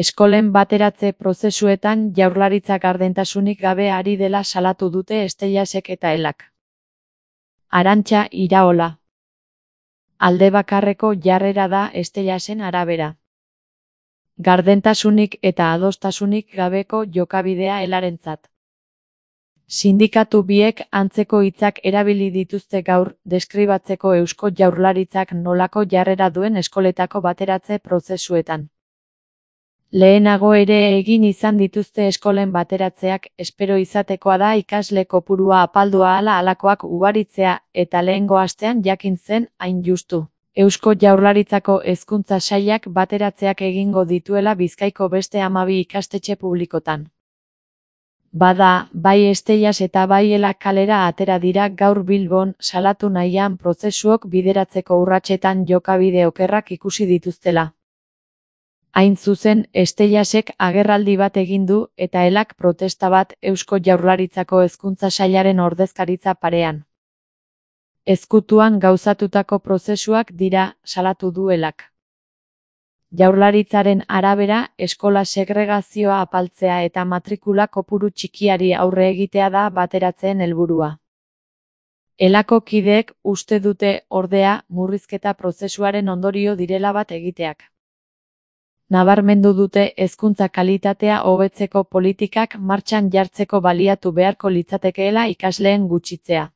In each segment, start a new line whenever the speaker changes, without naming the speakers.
Eskolen bateratze prozesuetan Jaurlaritza gardentasunik gabe ari dela salatu dute Stellasek eta Elak. Arantxa Iraola. Alde bakarreko jarrera da Stellasen arabera. Gardentasunik eta adostasunik gabeko jokabidea Elarentzat. Sindikatu biek antzeko hitzak erabili dituzte gaur, deskribatzeko Eusko Jaurlaritzak nolako jarrera duen eskoletako bateratze prozesuetan. Lehenago ere egin izan dituzte eskolen bateratzeak, espero izatekoa da ikasle kopurua apaldu ahala halakoak ugaritzea, eta lehengo astean jakin zen, hain justu. Eusko Jaurlaritzako Hezkuntza Sailak bateratzeak egingo dituela Bizkaiko beste 12 ikastetxe publikotan. Bada, bai Stellas eta bai Elak kalera atera dira gaur Bilbon salatu nahian prozesuok bideratzeko urratsetan jokabide okerrak ikusi dituztela. Hain zuzen, Stellasek agerraldi bat egin du eta Elak protesta bat Eusko Jaurlaritzako Hezkuntza Sailaren ordezkaritza parean. Ezkutuan gauzatutako prozesuak dira, salatu du Elak. Jaurlaritzaren arabera, eskola segregazioa apaltzea eta matrikula kopuru txikiari aurre egitea da bateratzeen helburua. Elako kideek uste dute, ordea, murrizketa prozesuaren ondorio direla bat egiteak. Nabarmendu dute hezkuntza kalitatea hobetzeko politikak martxan jartzeko baliatu beharko litzatekeela ikasleen gutxitzea.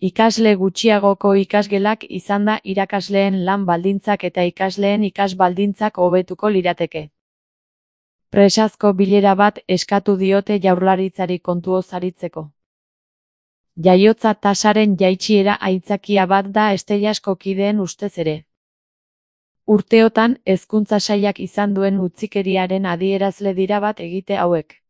Ikasle gutxiagoko ikasgelak izanda irakasleen lan baldintzak eta ikasleen ikasbaldintzak hobetuko lirateke. Presazko bilera bat eskatu diote Jaurlaritzari kontuoz aritzeko. Jaiotza tasaren jaitsiera aitzakia bat da Stellasko kideen ustez ere. Urteotan Hezkuntza Sailak izan duen utzikeriaren adierazle dira bat egite hauek.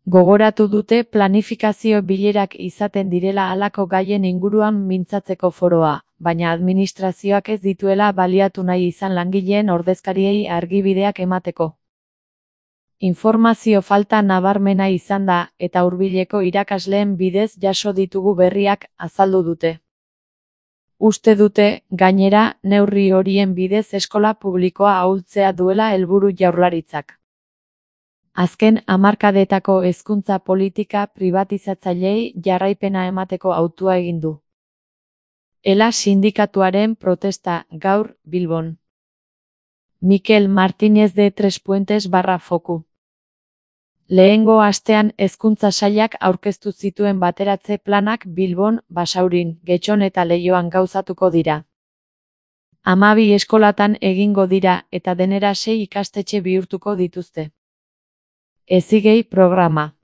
Gogoratu dute planifikazio bilerak izaten direla halako gaien inguruan mintzatzeko foroa, baina administrazioak ez dituela baliatu nahi izan langileen ordezkariei argibideak emateko. Informazio falta nabarmena izan da eta hurbileko irakasleen bidez jaso ditugu berriak azaldu dute. Uste dute, gainera, neurri horien bidez eskola publikoa ahultzea duela helburu Jaurlaritzak. Azken hamarkadetako hezkuntza politika pribatizatzaileei jarraipena emateko hautua egin du. Ela sindikatuaren protesta gaur Bilbon. Mikel Martínez de Trespuentes /Foku. Lehengo astean Hezkuntza Sailak aurkeztu zituen bateratze planak Bilbon, Basaurin, Getxon eta Leioan gauzatuko dira. 12 eskolatan egingo dira eta denera 6 ikastetxe bihurtuko dituzte. Hezigei programa.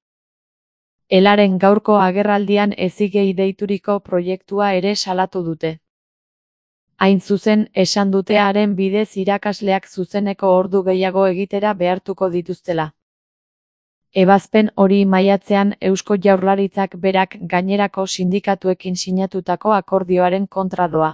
Elaren gaurko agerraldian hezigei deituriko proiektua ere salatu dute. Hain zuzen, esan dute haren bidez irakasleak zuzeneko ordu gehiago egitera behartuko dituztela. Ebazpen hori maiatzean Eusko Jaurlaritzak berak gainerako sindikatuekin sinatutako akordioaren kontra doa.